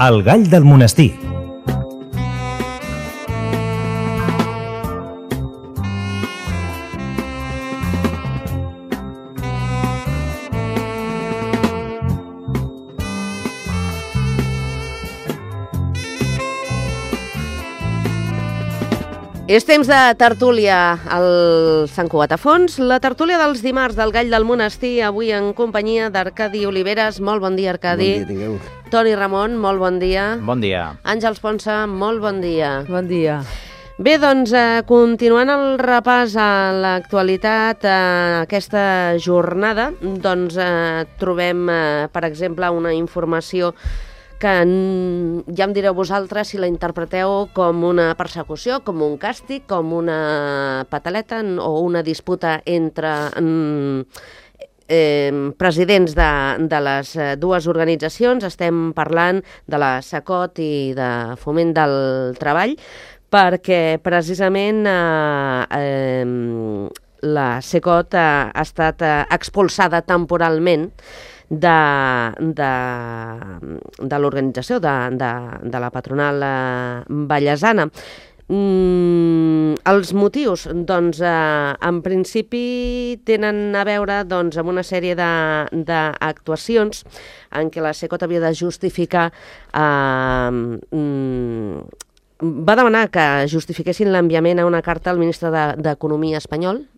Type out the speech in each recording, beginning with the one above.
El gall del monestir. És temps de tertúlia al Sant Cugat a Fons. La tertúlia dels dimarts del Gall del Monestir, avui en companyia d'Arcadi Oliveres. Molt bon dia, Arcadi. Bon dia, tingueu. Toni Ramon, molt bon dia. Bon dia. Àngels Ponsa, molt bon dia. Bon dia. Bé, doncs, continuant el repàs a l'actualitat, aquesta jornada, doncs trobem, per exemple, una informació que ja em direu vosaltres si la interpreteu com una persecució, com un càstig, com una pataleta o una disputa entre presidents de les dues organitzacions. Estem parlant de la SACOT i de Foment del Treball, perquè precisament la SACOT ha estat expulsada temporalment de l'organització, de la patronal vallesana. Els motius, doncs, en principi tenen a veure amb una sèrie d'actuacions en què la SACOT havia de justificar, va demanar que justifiquessin l'enviament a una carta al ministre d'Economia espanyol,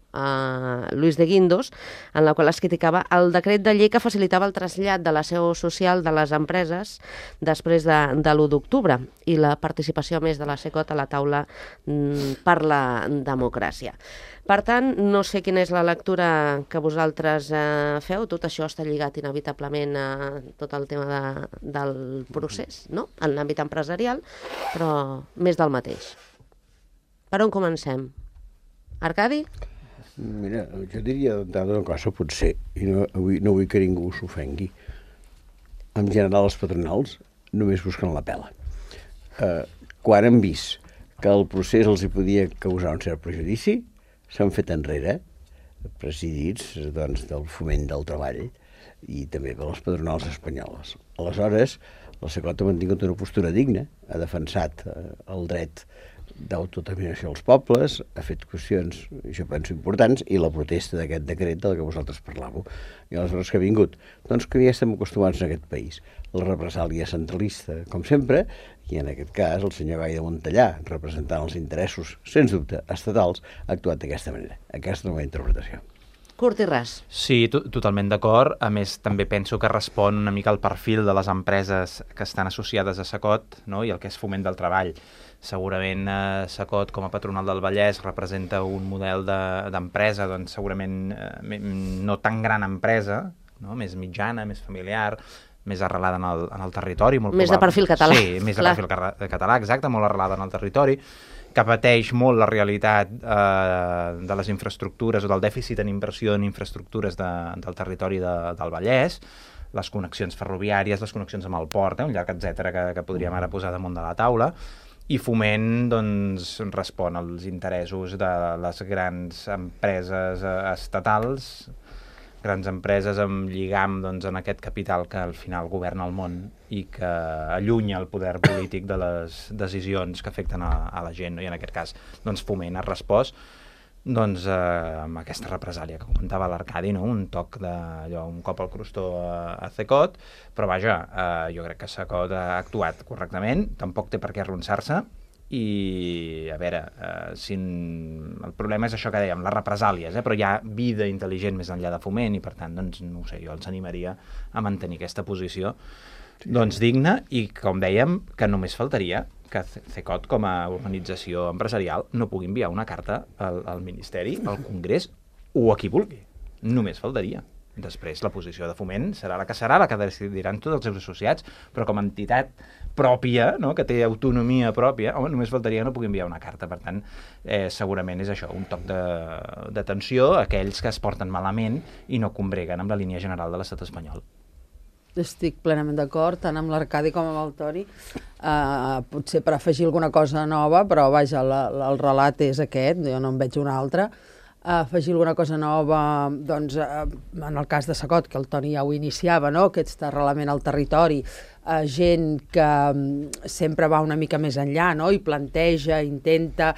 Luis de Guindos, en la qual es criticava el decret de llei que facilitava el trasllat de la seu social de les empreses després de l'1 d'octubre i la participació més de la SACOT a la taula per la democràcia. Per tant, no sé quina és la lectura que vosaltres feu. Tot això està lligat inevitablement a tot el tema del procés, no? En l'àmbit empresarial, però més del mateix. Per on comencem? Arcadi? Mira, jo diria una cosa, potser, i no vull que ningú s'ofengui. En general, els patronals només busquen la pela. Quan han vist que el procés els hi podia causar un cert perjudici, s'han fet enrere, presidits del Foment del Treball i també per les patronals espanyoles. Aleshores, la SACOT ha mantingut una postura digna, ha defensat el dret d'autodeterminació als pobles, ha fet qüestions, jo penso, importants, i la protesta d'aquest decret del que vosaltres parlàveu. I aleshores que ha vingut? Doncs que ja estem acostumats en aquest país. La represàlia centralista, com sempre, i en aquest cas el senyor Gai de Montellà, representant els interessos, sens dubte, estatals, ha actuat d'aquesta manera. Aquesta és la meva interpretació. Curt i ras. Sí, totalment d'acord. A més, també penso que respon una mica al perfil de les empreses que estan associades a SACOT, no? I el que és Foment del Treball. Segurament SACOT, com a patronal del Vallès, representa un model d'empresa, doncs segurament no tan gran empresa, no? Més mitjana, més familiar, més arrelada en el territori. Més de perfil català. Sí, més de perfil català, exacte, molt arrelada en el territori, que pateix molt la realitat de les infraestructures o del dèficit en inversió en infraestructures del territori del Vallès, les connexions ferroviàries, les connexions amb el port, un llac, etcètera, que podríem ara posar damunt de la taula. I Foment doncs, respon als interessos de les grans empreses estatals, grans empreses amb lligam en aquest capital que al final governa el món i que allunya el poder polític de les decisions que afecten a la gent. I en aquest cas Foment ha respost amb aquesta represàlia que comentava l'Arcadi, no? Un toc un cop al crostó a SACOT, però vaja, jo crec que SACOT ha actuat correctament, tampoc té per què arronsar-se, i a veure, el problema és això que dèiem, les represàlies, però hi ha vida intel·ligent més enllà de Foment i per tant, no ho sé, jo els animaria a mantenir aquesta posició digna i, com dèiem, que només faltaria que SACOT com a organització empresarial no pugui enviar una carta al Ministeri, al Congrés o a qui vulgui. Només faltaria. Després la posició de Foment serà la que decidiran tots els seus associats, però com a entitat pròpia, no? Que té autonomia pròpia, només faltaria que no pugui enviar una carta. Per tant, segurament és això, un toc d'atenció a aquells que es porten malament i no combreguen amb la línia general de l'estat espanyol. Estic plenament d'acord, tant amb l'Arcadi com amb el Toni. Potser per afegir alguna cosa nova, però vaja, el relat és aquest, jo no en veig un altre. Afegir alguna cosa nova, doncs, en el cas de SACOT, que el Toni ja ho iniciava, no? Aquest arrelament al territori, gent que sempre va una mica més enllà, no? I planteja, intenta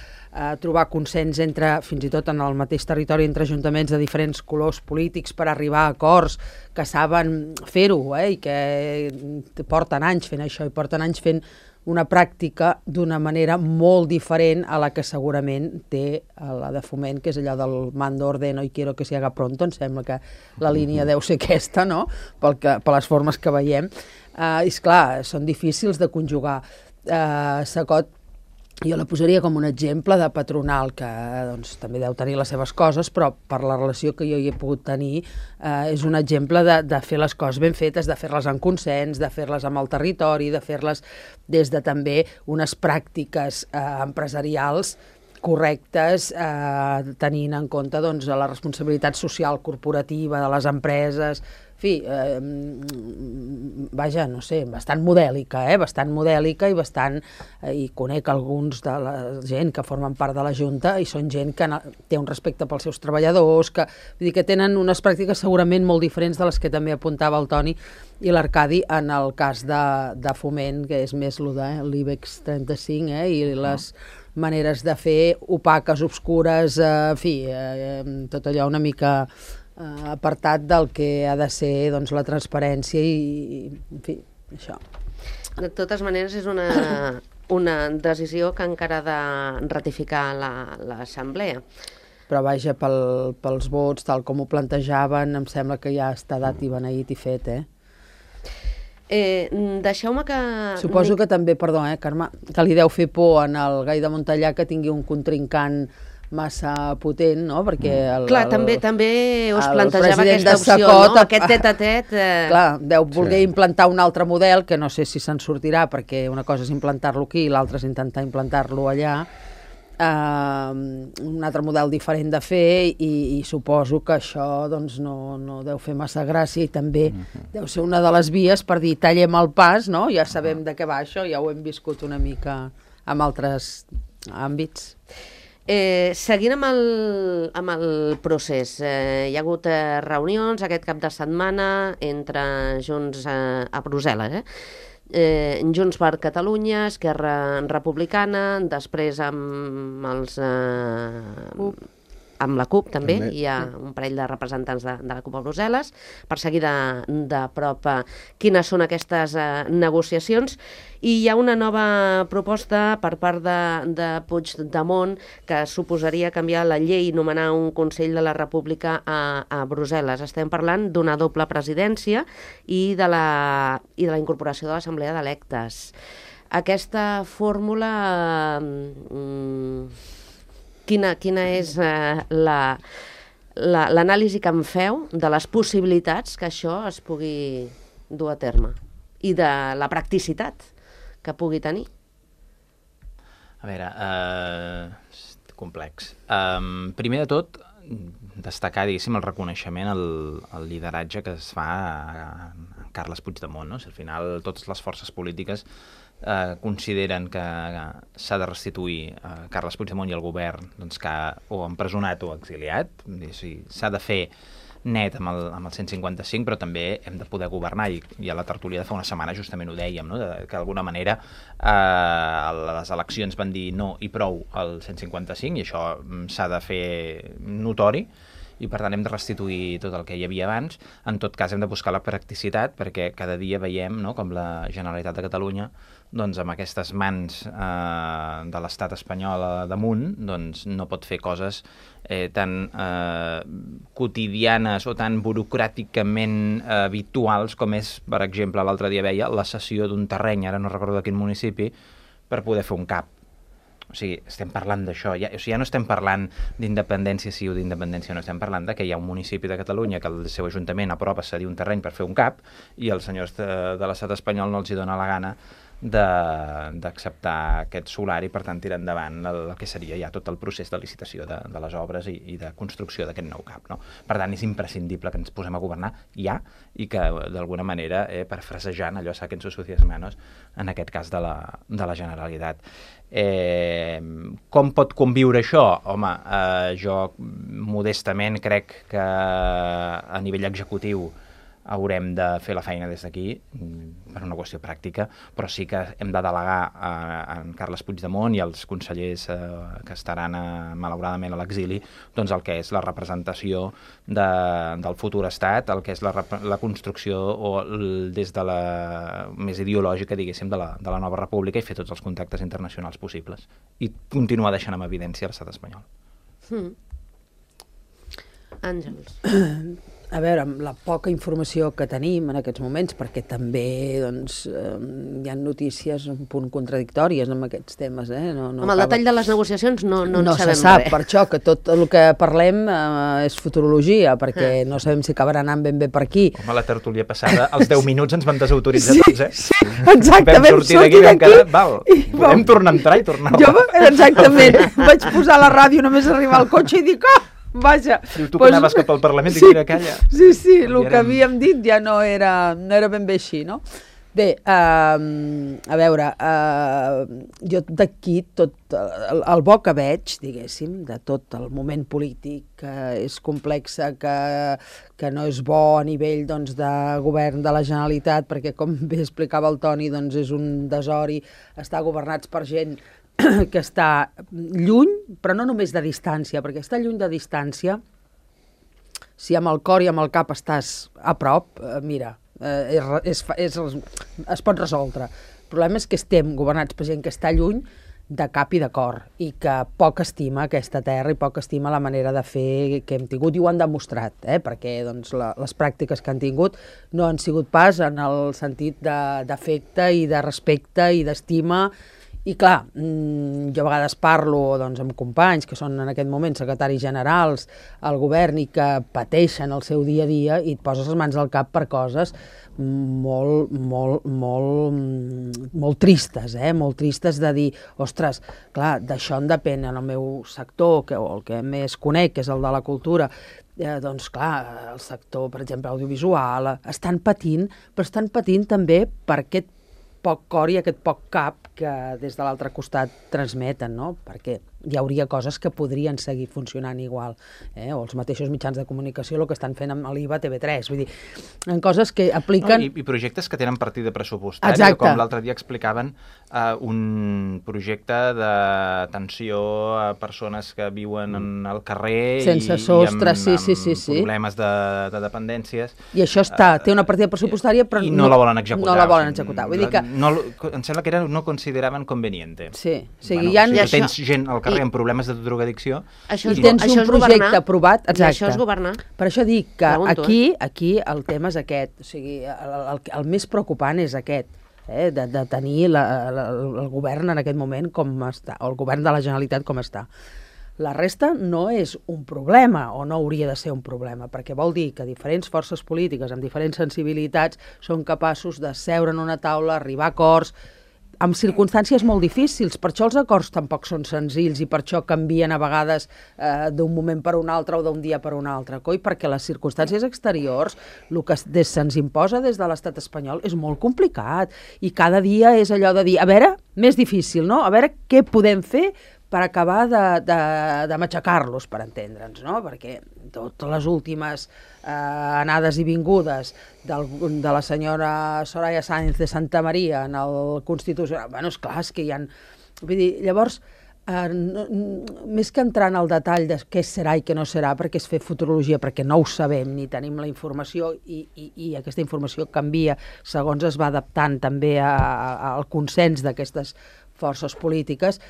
trobar consens entre, fins i tot en el mateix territori, entre ajuntaments de diferents colors polítics per arribar a acords que saben fer-ho, i que porten anys fent això i porten anys fent una pràctica d'una manera molt diferent a la que segurament té la de Foment, que és allò del mando ordeno i quiero que se haga pronto. Em sembla que la línia deu ser aquesta, no? Per les formes que veiem. I esclar, són difícils de conjugar. Sacot, jo la posaria com un exemple de patronal, que doncs, també deu tenir les seves coses, però per la relació que jo hi he pogut tenir és un exemple de fer les coses ben fetes, de fer-les en consens, de fer-les amb el territori, de fer-les des de també unes pràctiques empresarials correctes, tenint en compte doncs, la responsabilitat social corporativa de les empreses. En fi, vaja, no sé, bastant modèlica, bastant modèlica i bastant... I conec alguns de la gent que formen part de la Junta i són gent que té un respecte pels seus treballadors, vull dir que tenen unes pràctiques segurament molt diferents de les que també apuntava el Toni i l'Arcadi en el cas de Foment, que és més l'IBEX 35, i les maneres de fer opaques, obscures, en fi, tot allò una mica apartat del que ha de ser doncs, la transparència i, en fi, això. De totes maneres, és una decisió que encara ha de ratificar l'Assemblea. Però vaja, pels vots, tal com ho plantejaven, em sembla que ja està dat i beneït i fet, Deixeu-me que... Suposo que també, perdó, Carme, que li deu fer por en el Gai de Montellà que tingui un contrincant massa potent, no? Perquè clar, també us plantejava aquesta opció, Sacot, no? Aquest tet-a-tet... Clar, deu voler implantar un altre model, que no sé si se'n sortirà, perquè una cosa és implantar-lo aquí i l'altra és intentar implantar-lo allà, un altre model diferent de fer i suposo que això doncs, no deu fer massa gràcia i també deu ser una de les vies per dir tallem el pas, no? Ja sabem de què va això, ja ho hem viscut una mica en altres àmbits. Seguint amb el procés, hi ha hagut reunions aquest cap de setmana entre Junts a Brussel·les, Junts per Catalunya, Esquerra Republicana, després amb la CUP també, hi ha un parell de representants de la CUP a Brussel·les, per seguir de prop quines són aquestes negociacions, i hi ha una nova proposta per part de Puigdemont que suposaria canviar la llei i nomenar un Consell de la República a Brussel·les. Estem parlant d'una doble presidència i de la incorporació de l'Assemblea d'Electes. Aquesta fórmula... Quina és l'anàlisi que en feu de les possibilitats que això es pugui dur a terme i de la practicitat que pugui tenir? A veure, complex. Primer de tot, destacar, diguéssim, el reconeixement al lideratge que es fa a Carles Puigdemont, no? Si al final totes les forces polítiques consideren que s'ha de restituir Carles Puigdemont i el govern doncs, que o empresonat o exiliat, s'ha de fer net amb el 155, però també hem de poder governar, i a la tertúlia de fa una setmana justament ho dèiem, no? Que d'alguna manera les eleccions van dir no i prou al 155 i això s'ha de fer notori, i per tant hem de restituir tot el que hi havia abans. En tot cas hem de buscar la practicitat, perquè cada dia veiem, no, com la Generalitat de Catalunya doncs, amb aquestes mans de l'estat espanyol damunt doncs, no pot fer coses tan quotidianes o tan burocràticament habituals com és, per exemple, l'altre dia veia la cessió d'un terreny, ara no recordo de quin municipi, per poder fer un CAP. O sigui, estem parlant d'això, ja no estem parlant d'independència sí o d'independència no, estem parlant que hi ha un municipi de Catalunya que el seu ajuntament aprova cedir un terreny per fer un CAP i els senyors de l'estat espanyol no els hi dona la gana d'acceptar aquest solar i per tant tirar endavant el que seria ja tot el procés de licitació de les obres i de construcció d'aquest nou CAP, no? Per tant és imprescindible que ens posem a governar ja i que d'alguna manera, parafrasejant allò saquen sus sucias manos, en aquest cas de la Generalitat. Com pot conviure això? Home, jo modestament crec que a nivell executiu haurem de fer la feina des d'aquí, per una qüestió pràctica, però sí que hem de delegar en Carles Puigdemont i els consellers que estaran malauradament a l'exili, doncs el que és la representació del futur estat, el que és la construcció des de la més ideològica, diguéssim, de la nova república, i fer tots els contactes internacionals possibles i continuar deixant en evidència l'estat espanyol. Àngels. A veure, amb la poca informació que tenim en aquests moments, perquè també doncs, hi ha notícies un punt contradictòries amb aquests temes. Amb el detall de les negociacions no sabem res. No se sap, per això que tot el que parlem és futurologia, perquè no sabem si acabarà anant ben bé per aquí. Com a la tertúlia passada, als 10 minuts ens van desautoritzar tots, Sí, exacte, vam sortir d'aquí i vam quedar, podem tornar a entrar i tornar a... Jo, exactament, vaig posar la ràdio només arribar al cotxe i dic, vaja. Diu, tu que anaves cap al Parlament i mira, calla. Sí, el que havíem dit ja no era ben bé així, no? Bé, a veure, jo d'aquí tot el bo que veig, diguéssim, de tot el moment polític que és complex, que no és bo a nivell doncs, de govern de la Generalitat, perquè com bé explicava el Toni, doncs és un desori estar governats per gent que està lluny, però no només de distància, perquè estar lluny de distància, si amb el cor i amb el cap estàs a prop, mira, es pot resoldre. El problema és que estem governats per gent que està lluny de cap i de cor, i que poc estima aquesta terra i poc estima la manera de fer que hem tingut, i ho han demostrat, perquè doncs, les pràctiques que han tingut no han sigut pas en el sentit d'afecte i de respecte i d'estima. I clar, jo a vegades parlo doncs, amb companys que són en aquest moment secretaris generals al govern i que pateixen el seu dia a dia i et poses les mans al cap per coses molt tristes, molt tristes de dir, ostres, clar, d'això en depèn en el meu sector, o el que més conec, que és el de la cultura, doncs clar, el sector, per exemple, audiovisual, estan patint, però estan patint també per aquest poc cor i aquest poc cap que des de l'altre costat transmeten, no? Perquè hi hauria coses que podrien seguir funcionant igual, o els mateixos mitjans de comunicació el que estan fent amb l'IVA TV3, vull dir, en coses que apliquen... I projectes que tenen partida pressupostària, exacte, com l'altre dia explicaven un projecte d'atenció a persones que viuen al carrer sense sostre, amb problemes de dependències. I això té una partida pressupostària, però i no la volen executar. No la volen executar. Vull dir que... em sembla que no consideraven conveniente. Sí, o sigui, si tens gent al carrer amb problemes de drogadicció... I tens un projecte aprovat... I això és governar. Per això dic que aquí el tema és aquest. O sigui, el més preocupant és aquest, de tenir el govern en aquest moment com està, o el govern de la Generalitat com està. La resta no és un problema, o no hauria de ser un problema, perquè vol dir que diferents forces polítiques amb diferents sensibilitats són capaços de seure en una taula, arribar a acords, amb circumstàncies molt difícils. Per això els acords tampoc són senzills i per això canvien a vegades d'un moment per un altre o d'un dia per un altre, perquè les circumstàncies exteriors, el que se'ns imposa des de l'estat espanyol és molt complicat i cada dia és allò de dir, a veure, més difícil, no? A veure què podem fer per acabar de matxacar-los, per entendre'ns, no? Perquè totes les últimes anades i vingudes de la senyora Soraya Sáenz de Santa Maria en el Constitucional, bueno, esclar, és que hi ha... Vull dir, llavors, més que entrar en el detall de què serà i què no serà, perquè és fer futurologia, perquè no ho sabem ni tenim la informació i aquesta informació canvia segons es va adaptant també al consens d'aquestes forces polítiques,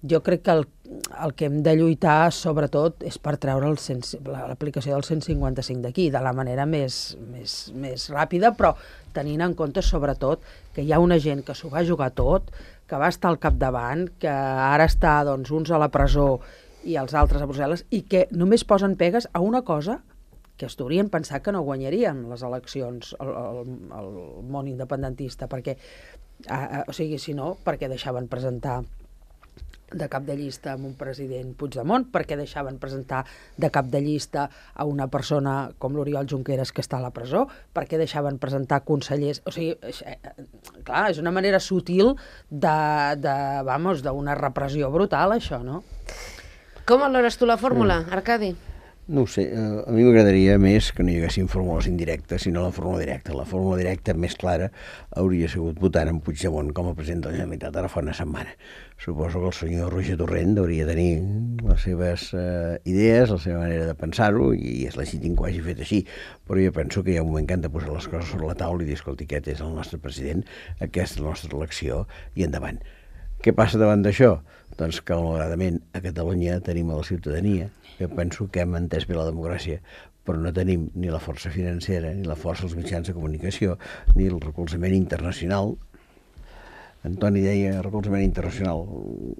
jo crec que el que hem de lluitar sobretot és per treure l'aplicació del 155 d'aquí, de la manera més ràpida, però tenint en compte sobretot que hi ha una gent que s'ho va jugar tot, que va estar al capdavant, que ara està doncs, uns a la presó i els altres a Brussel·les, i que només posen pegues a una cosa que es deurien pensar que no guanyarien les eleccions al món independentista, perquè o sigui, si no, perquè deixaven presentar de cap de llista amb un president Puigdemont, perquè deixaven presentar de cap de llista a una persona com l'Oriol Junqueras que està a la presó, perquè deixaven presentar consellers... O sigui, clar, és una manera sutil d'una repressió brutal, això, no? Com valores tu la fórmula, Arcadi? No ho sé, a mi m'agradaria més que no hi haguessin fórmules indirectes, sinó la fórmula directa. La fórmula directa més clara hauria sigut votant en Puigdemont com a president de la Generalitat ara fa una setmana. Suposo que el senyor Roger Torrent hauria de tenir les seves idees, la seva manera de pensar-ho, i és legítim que ho hagi fet així, però jo penso que hi ha un moment que han de posar les coses sobre la taula i dir, escolti, aquest és el nostre president, aquesta és la nostra elecció, i endavant. Què passa davant d'això? Doncs que, malauradament, a Catalunya tenim a la ciutadania, que penso que hem entès bé la democràcia, però no tenim ni la força financera, ni la força dels mitjans de comunicació, ni el recolzament internacional. Antoni deia recolzament internacional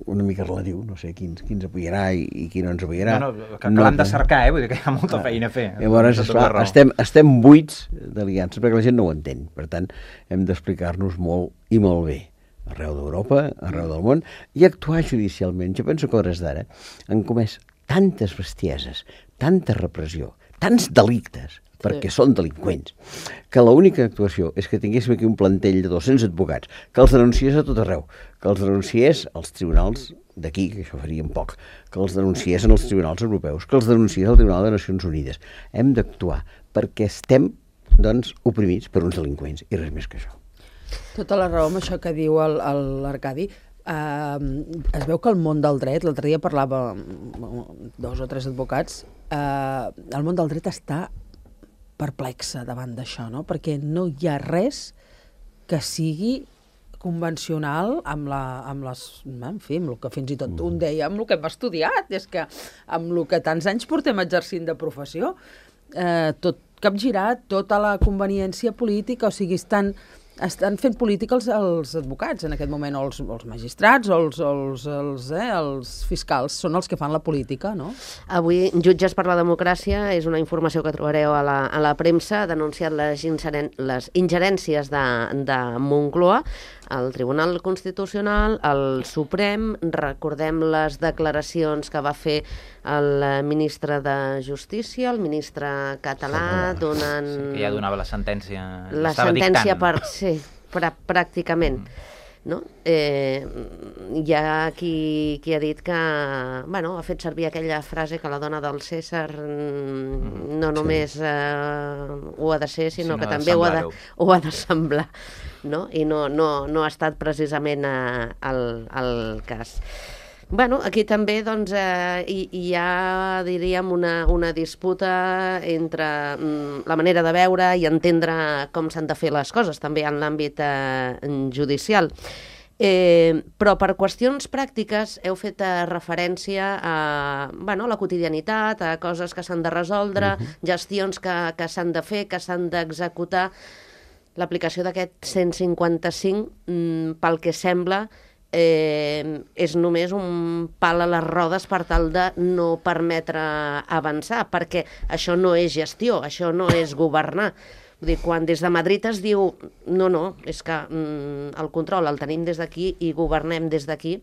una mica relatiu, no sé qui ens apoyarà i qui no ens apoyarà. No, que l'han de cercar, vull dir que hi ha molta feina a fer. Llavors, esclar, estem buits d'aliances perquè la gent no ho entén. Per tant, hem d'explicar-nos molt i molt bé arreu d'Europa, arreu del món, i actuar judicialment. Jo penso que a hores d'ara han comès tantes bestieses, tanta repressió, tants delictes, perquè són delinqüents, que l'única actuació és que tinguéssim aquí un plantell de 200 advocats, que els denunciés a tot arreu, que els denunciés als tribunals d'aquí, que això faríem poc, que els denunciés en els tribunals europeus, que els denunciés al Tribunal de Nacions Unides. Hem d'actuar perquè estem, doncs, oprimits per uns delinqüents, i res més que això. Tota la raó amb això que diu l'Arcadi. Es veu que el món del dret, l'altre dia parlava amb 2 o 3 advocats, el món del dret està perplexa davant d'això, no? Perquè no hi ha res que sigui convencional amb les, en fi, amb el que fins i tot un deia, amb el que hem estudiat, és que amb el que tants anys portem exercint de professió, tot capgirat, tota la conveniència política, o sigui, estan fent política els advocats en aquest moment, o els magistrats, o els fiscals, són els que fan la política, no? Avui, Jutges per la Democràcia és una informació que trobareu a la premsa, ha denunciat les ingerències de Moncloa, el Tribunal Constitucional, el Suprem. Recordem les declaracions que va fer el ministre de Justícia, el ministre català, donant... Sí, que ja donava la sentència. La sentència pràcticament. No? Hi ha qui ha dit que ha fet servir aquella frase que la dona del César no només ho ha de ser, sinó que també ho ha de semblar, no? I no ha estat precisament el cas. Aquí també hi ha, diríem, una disputa entre la manera de veure i entendre com s'han de fer les coses, també en l'àmbit judicial. Però per qüestions pràctiques heu fet referència a la quotidianitat, a coses que s'han de resoldre, gestions que s'han de fer, que s'han d'executar. L'aplicació d'aquest 155, pel que sembla, és només un pal a les rodes per tal de no permetre avançar, perquè això no és gestió, això no és governar. Vull dir, quan des de Madrid es diu no, és que el control el tenim des d'aquí i governem des d'aquí,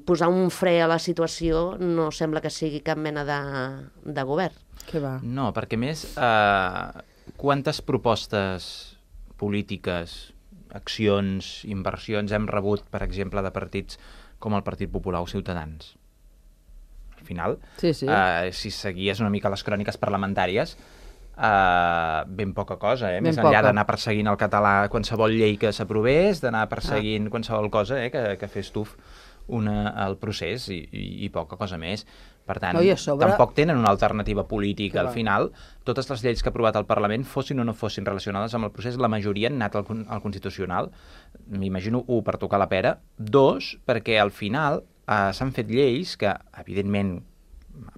posar un fre a la situació no sembla que sigui cap mena de govern. Què va? No, perquè més, quantes propostes polítiques, accions, inversions hem rebut, per exemple, de partits com el Partit Popular o Ciutadans? Al final, si seguies una mica les cròniques parlamentàries, ben poca cosa, més enllà d'anar perseguint el català qualsevol llei que s'aprovés, d'anar perseguint qualsevol cosa que fes tuf el procés i poca cosa més. Per tant, tampoc tenen una alternativa política. Al final, totes les lleis que ha aprovat el Parlament, fossin o no fossin relacionades amb el procés, la majoria han anat al Constitucional. M'imagino, 1, per tocar la pera, 2, perquè al final s'han fet lleis que, evidentment,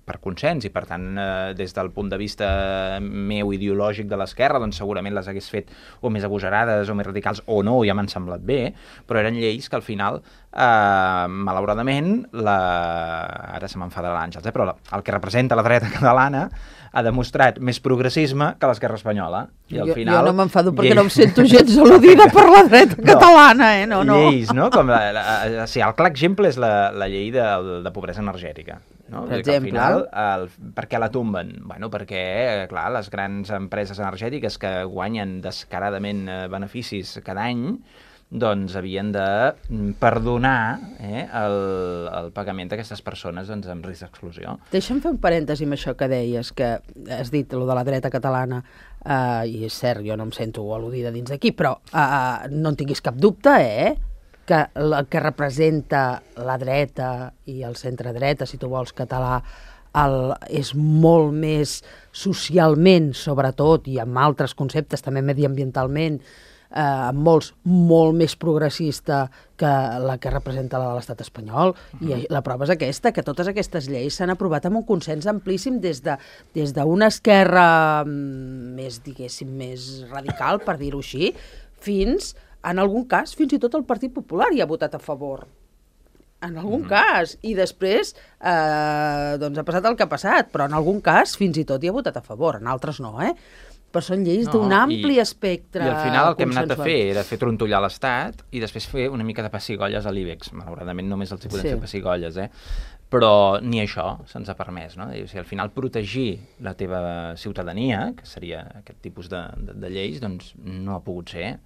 per consens, i per tant, des del punt de vista meu ideològic de l'esquerra, doncs segurament les hagués fet o més agosarades o més radicals o no, ja m'han semblat bé, però eren lleis que al final, malauradament, ara se m'enfadarà l'Àngels, però el que representa la dreta catalana ha demostrat més progressisme que l'esquerra espanyola. I al final, jo no m'enfado perquè no em sento gens al·ludida per la dreta catalana, no. Lleis, no? El clar exemple és la llei de pobresa energètica. No? Per exemple? Al final, per què la tomben? Perquè, clar, les grans empreses energètiques que guanyen descaradament beneficis cada any, doncs havien de perdonar el pagament d'aquestes persones doncs, amb risc d'exclusió. Deixa'm fer un parèntesi amb això que deies, que has dit, lo de la dreta catalana, i és cert, jo no em sento al·ludida dins d'aquí, però no en tinguis cap dubte, que el que representa la dreta i el centre-dreta, si tu vols, català, és molt més socialment, sobretot, i amb altres conceptes, també mediambientalment, molts molt més progressista que la que representa la de l'estat espanyol, i la prova és aquesta, que totes aquestes lleis s'han aprovat amb un consens amplíssim des d'una esquerra més, diguéssim, més radical, per dir-ho així, fins, en algun cas, fins i tot el Partit Popular hi ha votat a favor. En algun cas. I després doncs ha passat el que ha passat, però en algun cas fins i tot hi ha votat a favor, en altres no, però són lleis d'un ampli espectre. I al final el que hem anat a fer era fer trontollar l'Estat i després fer una mica de pessigolles a l'IBEX. Malauradament només els hi podem fer pessigolles, però ni això se'ns ha permès, no? O sigui, al final protegir la teva ciutadania, que seria aquest tipus de lleis, doncs no ha pogut ser.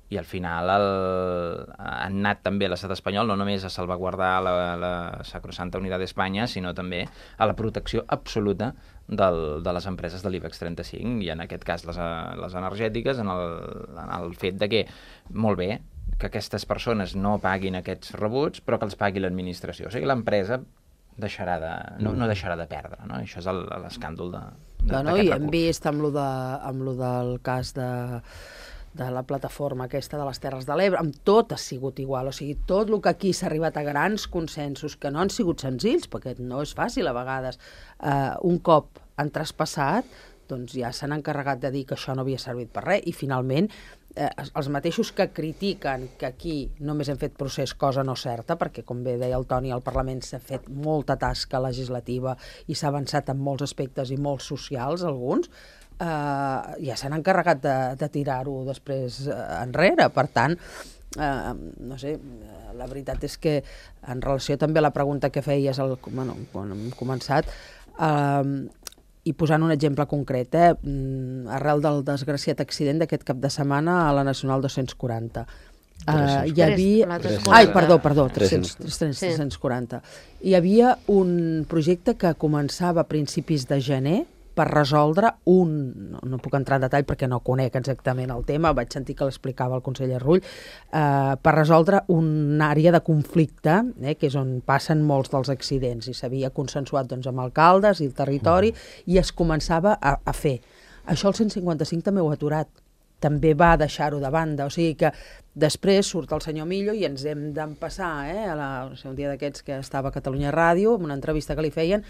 I al final han anat també a l'estat espanyol no només a salvaguardar la sacrosanta unitat d'Espanya, sinó també a la protecció absoluta de les empreses de l'IBEX 35, i en aquest cas les energètiques, en el fet de que, molt bé, que aquestes persones no paguin aquests rebuts, però que els pagui l'administració. O sigui, l'empresa no deixarà de perdre, no? Això és l'escàndol d'aquest recurs. I hem vist amb lo del cas de la plataforma aquesta de les Terres de l'Ebre, amb tot ha sigut igual, o sigui, tot el que aquí s'ha arribat a grans consensos, que no han sigut senzills, perquè no és fàcil a vegades, un cop han traspassat, doncs ja s'han encarregat de dir que això no havia servit per res, i finalment els mateixos que critiquen que aquí només hem fet procés, cosa no certa, perquè com bé deia el Toni, al Parlament s'ha fet molta tasca legislativa i s'ha avançat en molts aspectes i molts socials, alguns, ja s'han encarregat de tirar-ho després enrere. Per tant, no sé, la veritat és que en relació també a la pregunta que feies quan hem començat, i posant un exemple concret, arrel del desgraciat accident d'aquest cap de setmana a la Nacional 240, hi havia... 340. Hi havia un projecte que començava a principis de gener per resoldre no puc entrar en detall perquè no conec exactament el tema, vaig sentir que l'explicava el conseller Rull, per resoldre una àrea de conflicte, que és on passen molts dels accidents, i s'havia consensuat amb alcaldes i el territori, i es començava a fer. Això el 155 també ho ha aturat, també va deixar-ho de banda, o sigui que després surt el senyor Millo i ens hem d'empassar, un dia d'aquests que estava a Catalunya Ràdio, amb una entrevista que li feien,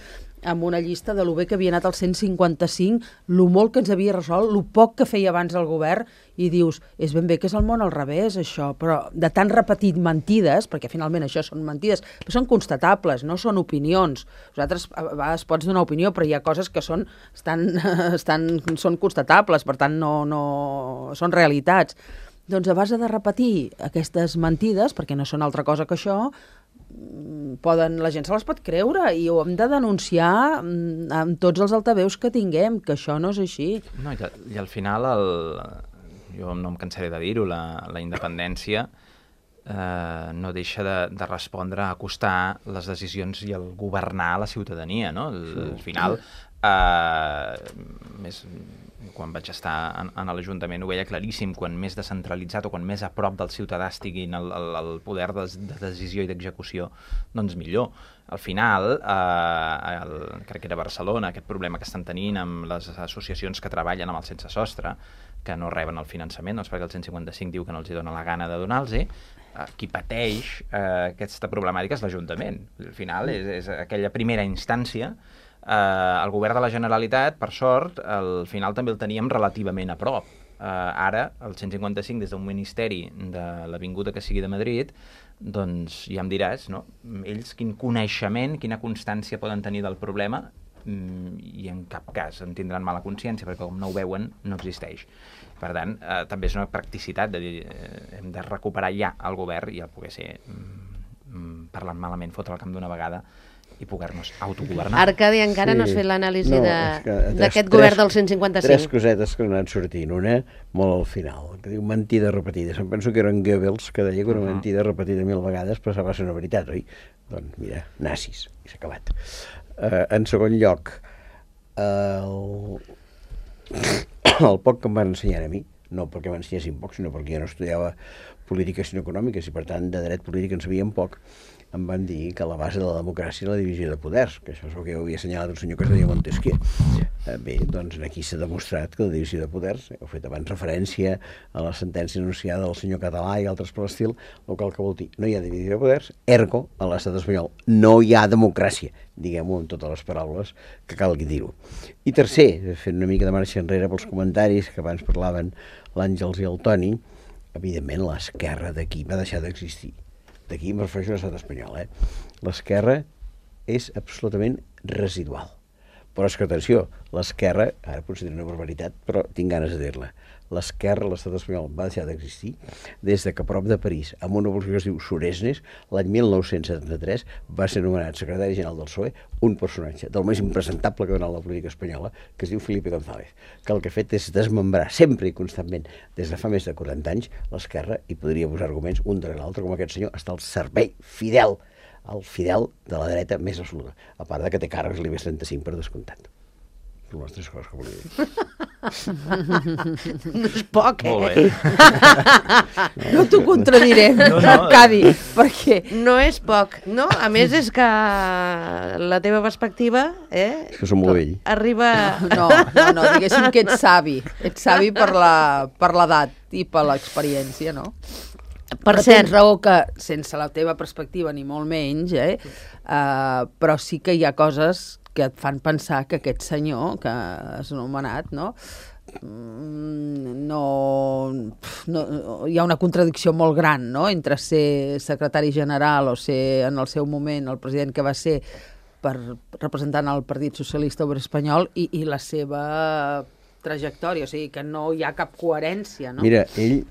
amb una llista de lo bé que havia anat el 155, lo molt que ens havia resolt, lo poc que feia abans el govern, i dius, és ben bé que és el món al revés, això, però de tant repetir mentides, perquè finalment això són mentides, però són constatables, no són opinions. Vosaltres a vegades pots donar opinió, però hi ha coses que són constatables, per tant no són realitats. Doncs a base de repetir aquestes mentides, perquè no són altra cosa que això, la gent se les pot creure i ho hem de denunciar amb tots els altaveus que tinguem, que això no és així. No, i al final, jo no em cansaré de dir-ho, la independència no deixa de respondre a acostar les decisions i el governar a la ciutadania, no? Al final, quan vaig estar en l'Ajuntament ho veia claríssim, quan més descentralitzat o quan més a prop del ciutadà estiguin el poder de decisió i d'execució, doncs millor. Al final, crec que era Barcelona, aquest problema que estan tenint amb les associacions que treballen amb el sense sostre, que no reben el finançament, doncs perquè el 155 diu que no els dona la gana de donar-los, qui pateix aquesta problemàtica és l'Ajuntament. Al final és aquella primera instància. El govern de la Generalitat, per sort, al final també el teníem relativament a prop. Ara, el 155, des d'un ministeri de l'avinguda que sigui de Madrid, doncs ja em diràs, no? Ells quin coneixement, quina constància poden tenir del problema, i en cap cas en tindran mala consciència, perquè com no ho veuen, no existeix. Per tant, també és una practicitat de dir, hem de recuperar ja el govern i el poder ser, parlant malament, fotre al camp d'una vegada i poder-nos autogovernar. Arcadi, encara no has fet l'anàlisi No, és que d'aquest govern del 155. Tres cosetes que han anat sortint. Una, molt al final, que diu mentida repetida. Em penso que eren Goebbels, que deia que una mentida repetida 1000 vegades passava a ser una veritat, oi? Doncs mira, nazis, i s'ha acabat. En segon lloc, el poc que em van ensenyar a mi, no perquè m'ensenyessin poc, sinó perquè jo no estudiava polítiques sinó econòmiques i per tant de dret polític en sabíem poc, em van dir que la base de la democràcia és la divisió de poders, que això és el que havia assenyalat un senyor que es deia Montesquieu. Bé, doncs aquí s'ha demostrat que la divisió de poders, heu fet abans referència a la sentència anunciada del senyor Català i altres per l'estil, el que vol dir, no hi ha divisió de poders, ergo, a l'estat espanyol no hi ha democràcia, diguem-ho amb totes les paraules que calgui dir-ho. I tercer, fent una mica de marxa enrere pels comentaris que abans parlaven l'Àngels i el Toni, evidentment l'esquerra d'aquí va deixar d'existir. D'aquí em refereixo a l'estat espanyol, L'esquerra és absolutament residual. Però és que, atenció, l'esquerra, ara potser diré una barbaritat, però tinc ganes de dir-la, l'esquerra a l'estat espanyol va deixar d'existir des de que a prop de París, amb una evolució que es diu Suresnes, l'any 1973 va ser nomenat secretari general del PSOE un personatge del més impresentable que ha donat la política espanyola, que es diu Felipe González, que el que ha fet és desmembrar sempre i constantment, des de fa més de 40 anys, l'esquerra, i podria posar arguments un darrere l'altre, com aquest senyor està al servei fidel, el fidel de la dreta més absoluta, a part de que té càrrecs l'IBEX 35 per descomptat. Són les tres coses que volia dir. No és poc, Molt bé. No t'ho contradiré, Arcadi, perquè... No és poc, no? A més és que la teva perspectiva, És que som molt vell. arriba... No, diguéssim que ets savi per l'edat i per l'experiència, no? Per però cert, tens raó que, sense la teva perspectiva, ni molt menys, però sí que hi ha coses que et fan pensar que aquest senyor que has anomenat, no, hi ha una contradicció molt gran, no?, entre ser secretari general o ser, en el seu moment, el president que va ser representant el Partit Socialista Obrer Espanyol i la seva trajectòria, o sigui que no hi ha cap coherència, no? Mira, ell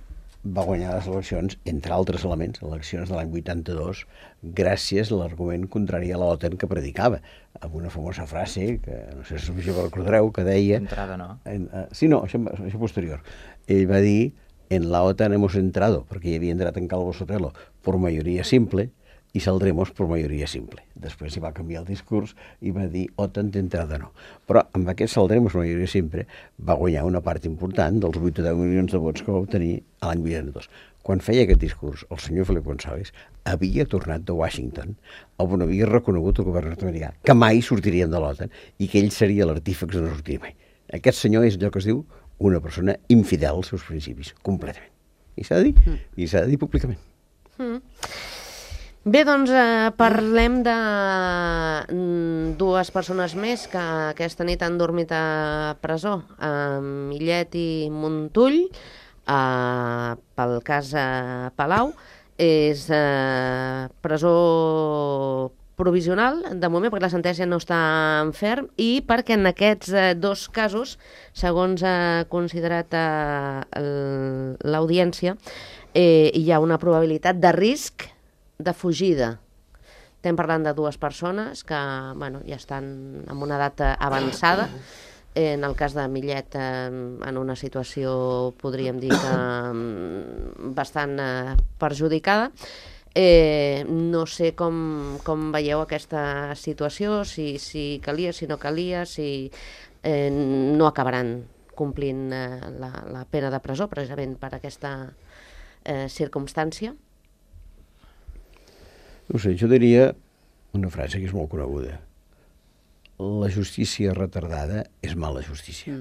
va guanyar les eleccions, entre altres elements, eleccions de l'any 82, gràcies a l'argument contrari a l'OTAN que predicava, amb una famosa frase, que no sé si us recordareu, que deia... Entrada, no? Sí, no, això posterior. Ell va dir, en la OTAN hemos entrado, perquè hi havia entrat en Calvo Sotelo, por mayoría simple, i saldremos por mayoría simple. Després hi va canviar el discurs i va dir OTAN d'entrada no. Però amb aquest saldremos por mayoría simple va guanyar una part important dels 8 o 10 milions de vots que va obtenir a l'any 82. Quan feia aquest discurs, el senyor Felipe González havia tornat de Washington on havia reconegut el govern nord-americà que mai sortirien de l'OTAN i que ell seria l'artífex de no sortir mai. Aquest senyor és allò que es diu una persona infidel als seus principis, completament. I s'ha de dir, i s'ha de dir públicament. Bé, doncs parlem de dues persones més que aquesta nit han dormit a presó, Millet i Montull, pel cas Palau. És presó provisional, de moment, perquè la sentència no està en ferm, i perquè en aquests dos casos, segons ha considerat l'audiència, hi ha una probabilitat de risc de fugida. Estem parlant de dues persones que ja estan en una edat avançada, en el cas de Millet en una situació, podríem dir que bastant perjudicada. No sé com veieu aquesta situació, si calia, si no calia, si no acabaran complint la pena de presó, precisament per aquesta circumstància. No sé, jo diria una frase que és molt coneguda. La justícia retardada és mala justícia.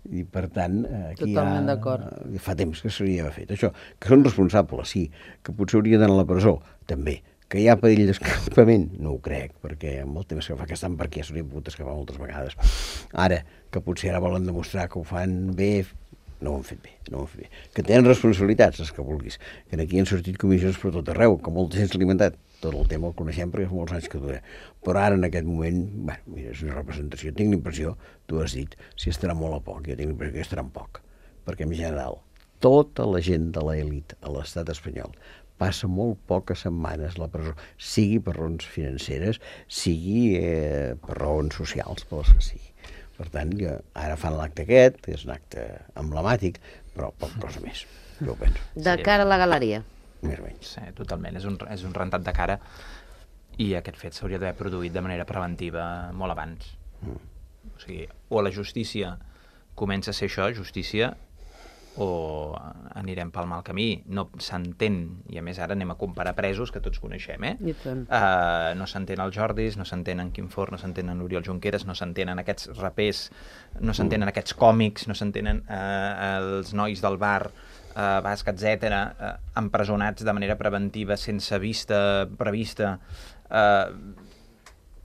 I per tant, aquí totalment d'acord. Fa temps que s'hauria fet això. Que són responsables, sí. Que potser hauria d'anar a la presó, també. Que hi ha perill d'escapament, no ho crec, perquè amb el temps que fa que estan per aquí ja s'haurien pogut escapar moltes vegades. Ara, que potser ara volen demostrar que ho fan bé, no ho han fet bé, no ho han fet bé. Que tenen responsabilitats, els que vulguis. Que aquí han sortit comissions per tot arreu, que molta gent s'ha alimentat. Tot el tema el coneixem perquè fa molts anys que dura. Però ara, en aquest moment, mira, és una representació. Tinc l'impressió, tu has dit, si estarà molt a poc. Jo tinc l'impressió que estarà en poc. Perquè, en general, tota la gent de l'elit a l'estat espanyol passa molt poques setmanes a la presó, sigui per raons financeres, sigui per raons socials, per les que sigui. Per tant, ara fan l'acte aquest, que és un acte emblemàtic, però poc cosa més, jo ho penso. De cara a la galeria. Més o menys. Sí, totalment, és un rentat de cara i aquest fet s'hauria d'haver produït de manera preventiva molt abans. O sigui, o la justícia comença a ser això, justícia, o anirem pel mal camí. No s'entén, i a més ara anem a comparar presos, que tots coneixem, no s'entén el Jordis, no s'entén en Quim Forn, no s'entén en Oriol Junqueras, no s'entenen aquests rapers, no s'entenen aquests còmics, no s'entenen els nois del bar basc, etc., empresonats de manera preventiva, sense vista prevista,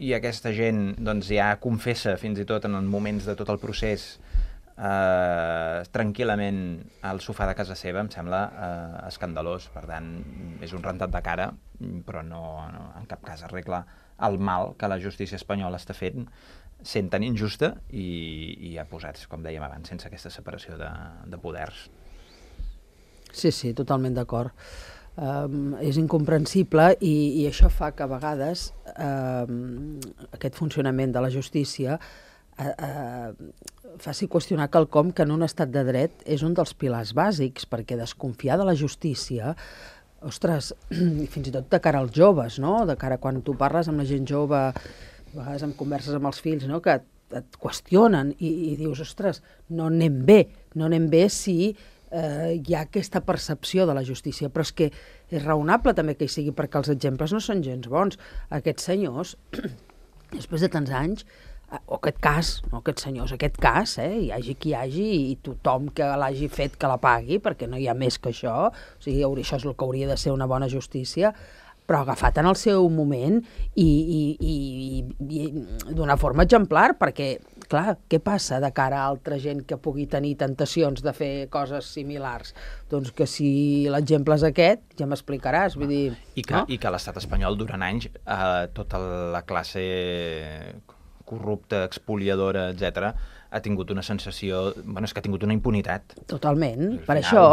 i aquesta gent doncs, ja confessa fins i tot en els moments de tot el procés tranquil·lament al sofà de casa seva, em sembla escandalós. Per tant, és un rentat de cara, però no en cap cas arregla el mal que la justícia espanyola està fent, sent tan injusta i ja posats, com dèiem abans, sense aquesta separació de poders. Sí, totalment d'acord. És incomprensible i això fa que a vegades aquest funcionament de la justícia faci qüestionar quelcom que en un estat de dret és un dels pilars bàsics, perquè desconfiar de la justícia, ostres, fins i tot de cara als joves, no? De cara quan tu parles amb la gent jove, a vegades en converses amb els fills, no? Que et qüestionen i dius, ostres, no anem bé si hi ha aquesta percepció de la justícia, però és que és raonable també que hi sigui, perquè els exemples no són gens bons. Aquests senyors, després de tants anys, o aquest cas, hi hagi qui hi hagi i tothom que l'hagi fet que la pagui, perquè no hi ha més que això, o sigui, això és el que hauria de ser una bona justícia, però agafat en el seu moment i d'una forma exemplar, perquè, clar, què passa de cara a altra gent que pugui tenir tentacions de fer coses similars? Doncs que si l'exemple és aquest, ja m'explicaràs, vull dir... I que l'estat espanyol, durant anys, tota la classe corrupta, expoliadora, etc., ha tingut una sensació... Bueno, és que ha tingut una impunitat. Totalment, per final, això...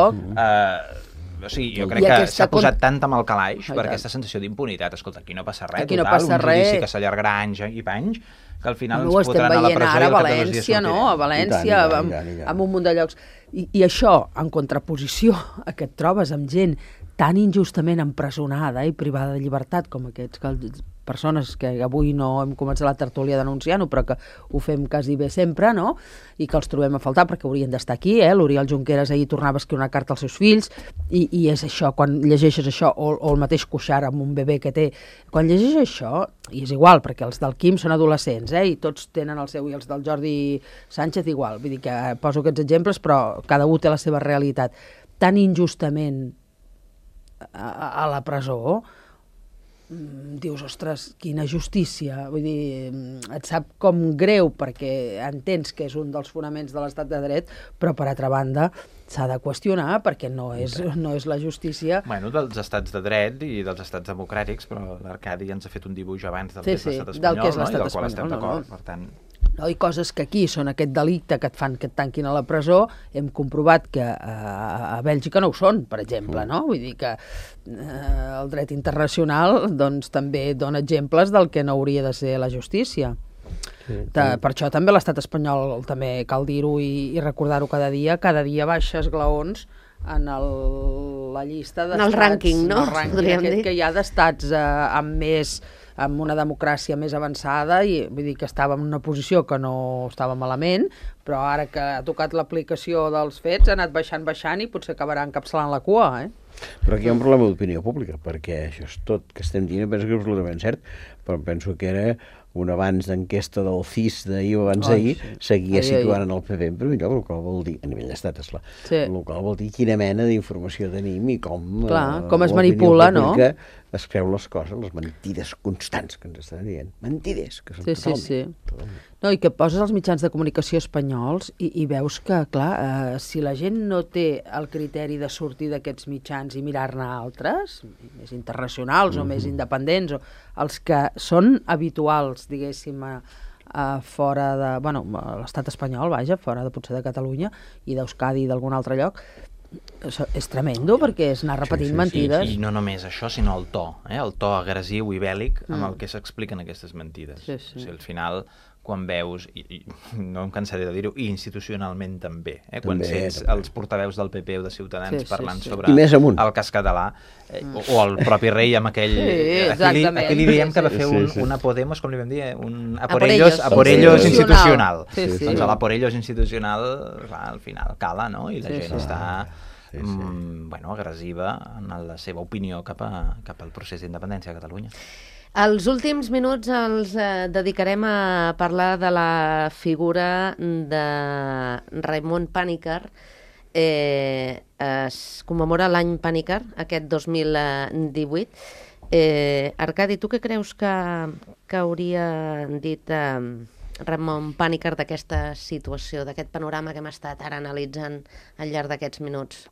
O sigui, jo crec que s'ha posat tant amb el calaix per aquesta sensació d'impunitat. Escolta, aquí no passa res, aquí no passa un judici que s'allargarà anys i panys, que al final ens fotran a la presó i a el València, no? A València, amb un munt de llocs. I això, en contraposició a que et trobes amb gent tan injustament empresonada i privada de llibertat com aquests persones que avui no hem començat la tertúlia denunciant-ho, però que ho fem quasi bé sempre, no? I que els trobem a faltar perquè haurien d'estar aquí, l'Oriol Junqueras ahir tornava a escriure una carta als seus fills, i és això, quan llegeixes això, o el mateix Cuixart amb un bebè que té, quan llegeixes això, i és igual, perquè els del Quim són adolescents, i tots tenen el seu, i els del Jordi Sánchez igual, vull dir que poso aquests exemples, però cada un té la seva realitat. Tan injustament a la presó, dius, ostres, quina justícia, vull dir, et sap com greu perquè entens que és un dels fonaments de l'estat de dret, però per altra banda s'ha de qüestionar perquè no és la justícia... Bueno, dels estats de dret i dels estats democràtics, però l'Arcadi ens ha fet un dibuix abans del que és l'estat espanyol, del que és l'estat i del qual estem espanyol, d'acord, per tant... No, i coses que aquí són aquest delicte que et fan que et tanquin a la presó, hem comprovat que a Bèlgica no ho són, per exemple, no? Vull dir que el dret internacional doncs, també dona exemples del que no hauria de ser la justícia. Per això també l'estat espanyol, també cal dir-ho i recordar-ho cada dia baixa esglaons en la llista d'estats... En el rànquing, no? En el rànquing aquest que hi ha d'estats amb una democràcia més avançada, i vull dir que estava en una posició que no estava malament, però ara que ha tocat l'aplicació dels fets ha anat baixant i potser acabarà encapçalant la cua, Però aquí hi ha un problema d'opinió pública, perquè això és tot que estem dient, penso que és absolutament cert, però penso que era un abans d'enquesta del CIS d'ahir o abans d'ahir, seguia situant en el PP en primer lloc, el qual vol dir, a nivell d'estat, esclar, el qual vol dir quina mena d'informació tenim i com es manipula, no? Es creu les coses, les mentides constants que ens estan dient. Mentides, que són totalment. No, i que poses els mitjans de comunicació espanyols i veus que, clar, si la gent no té el criteri de sortir d'aquests mitjans i mirar-ne altres, més internacionals o més independents, o els que són habituals, diguéssim, fora de... Bueno, l'estat espanyol, vaja, fora de potser de Catalunya i d'Euskadi i d'algun altre lloc, és tremendo, perquè és anar repetint mentides. I no només això, sinó el to agressiu i bèl·lic amb el que s'expliquen aquestes mentides. Sí, sí. O sigui, al final, quan veus, i no em cansaré de dir-ho, i institucionalment també, quan sents els portaveus del PP o de Ciutadans parlant sobre el cas català, o el propi rei amb aquell... Aquí li diem que va fer una Podemos, com li vam dir, un a por ellos institucional. Doncs a la por ellos institucional, al final cala, no? I la gent està... agressiva en la seva opinió cap al procés d'independència de Catalunya. Els últims minuts els dedicarem a parlar de la figura de Raimon Panikkar. Es commemora l'any Panikkar, aquest 2018. Arcadi, tu què creus que hauria dit Raimon Panikkar d'aquesta situació, d'aquest panorama que hem estat ara analitzant al llarg d'aquests minuts?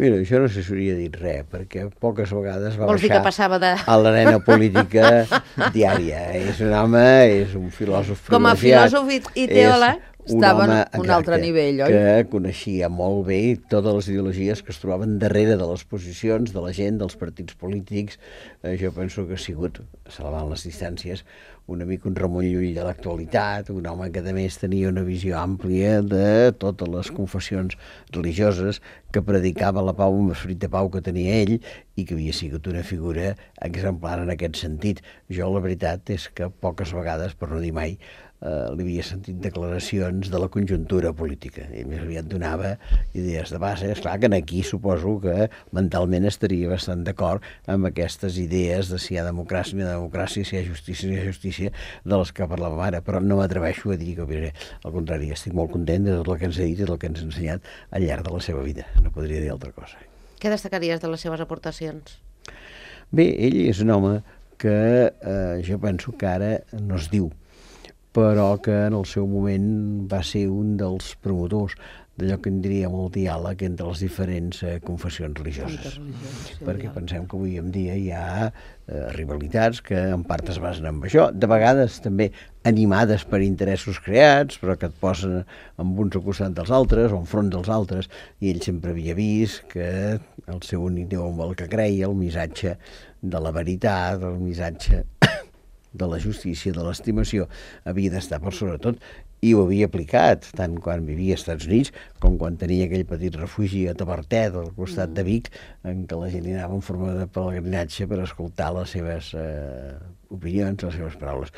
Mira, això no se s'hauria dit res, perquè poques vegades va Vols dir que passava a l'arena política diària. És un home, és un filòsof privilegiat. Com a filòsof i teòleg, estava en un altre nivell, oi? Que coneixia molt bé totes les ideologies que es trobaven darrere de les posicions de la gent, dels partits polítics. Jo penso que ha sigut, salvant les distàncies, una mica un Ramon Llull de l'actualitat, un home que a més tenia una visió àmplia de totes les confessions religioses, que predicava la pau amb esperit de pau que tenia ell i que havia sigut una figura exemplar en aquest sentit. Jo la veritat és que poques vegades, per no dir mai, li havia sentit declaracions de la conjuntura política. Ell més aviat donava idees de base. Esclar que aquí suposo que mentalment estaria bastant d'acord amb aquestes idees de si hi ha democràcia, no hi ha democràcia, si hi ha justícia, no hi ha justícia, de les que parlàvem ara, però no m'atreveixo a dir que opinaré. Al contrari, estic molt content de tot el que ens ha dit i del que ens ha ensenyat al llarg de la seva vida. No podria dir altra cosa. Què destacaries de les seves aportacions? Bé, ell és un home que jo penso que ara no es diu, però que en el seu moment va ser un dels promotors d'allò que en diríem el diàleg entre les diferents confessions religioses. Perquè pensem que avui en dia hi ha rivalitats que en part es basen en això, de vegades també animades per interessos creats, però que et posen amb uns al costat dels altres o enfront dels altres, i ell sempre havia vist que el seu únic Déu amb el que creia, el missatge de la veritat, el missatge de la justícia, de l'estimació, havia d'estar per sobretot, i ho havia aplicat, tant quan vivia als Estats Units com quan tenia aquell petit refugi a Tavertet, al costat de Vic, en què la gent hi anava en forma de pelegrinatge per escoltar les seves opinions, les seves paraules.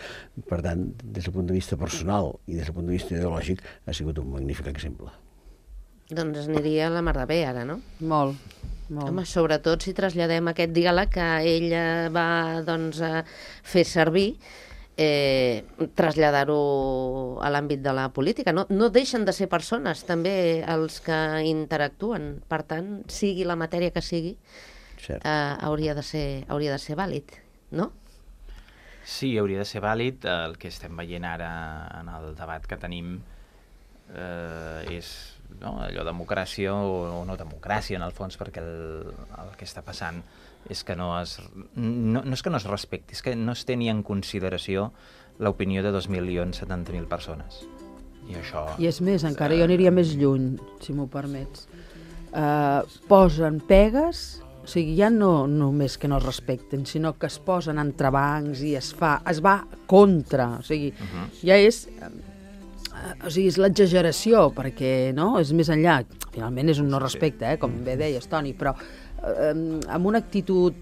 Per tant, des del punt de vista personal i des del punt de vista ideològic, ha sigut un magnífic exemple. Doncs aniria a la mar de bé, ara, no? Molt. Home, sobretot si traslladem aquest diàleg que ell va fer servir, traslladar-ho a l'àmbit de la política. No deixen de ser persones, també, els que interactuen. Per tant, sigui la matèria que sigui, hauria de ser vàlid, no? Sí, hauria de ser vàlid. El que estem veient ara en el debat que tenim és allò democràcia o no democràcia, en el fons, perquè el que està passant és que no és que no es respecti, és que no es té ni en consideració l'opinió de 2.070.000 persones. I és més, encara jo aniria més lluny, si m'ho permets. Posen pegues, o sigui, ja no només que no es respecten, sinó que es posen entrebancs i es va contra, o sigui, ja és... O sigui, és l'exageració, perquè és més enllà. Finalment és un no respecte, com bé deies, Toni, però amb una actitud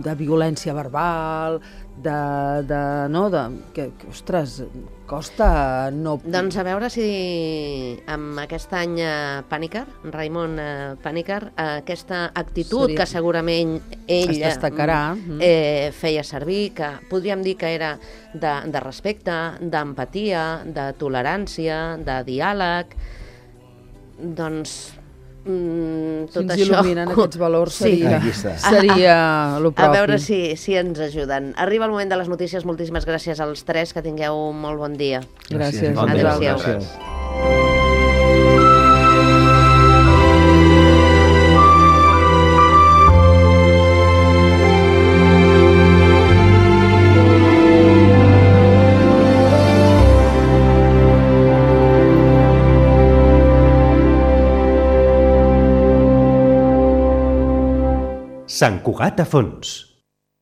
de violència verbal, que ostres, costa no... Doncs a veure si amb aquest any Panikkar, Raimon Panikkar, aquesta actitud que segurament ell feia servir, que podríem dir que era de respecte, d'empatia, de tolerància, de diàleg, doncs... si ens il·luminen aquests valors seria el propi. A veure si ens ajuden. Arriba el moment de les notícies. Moltíssimes gràcies als tres, que tingueu un molt bon dia. Gràcies. Adéu-siau. Sant Cugat a fons.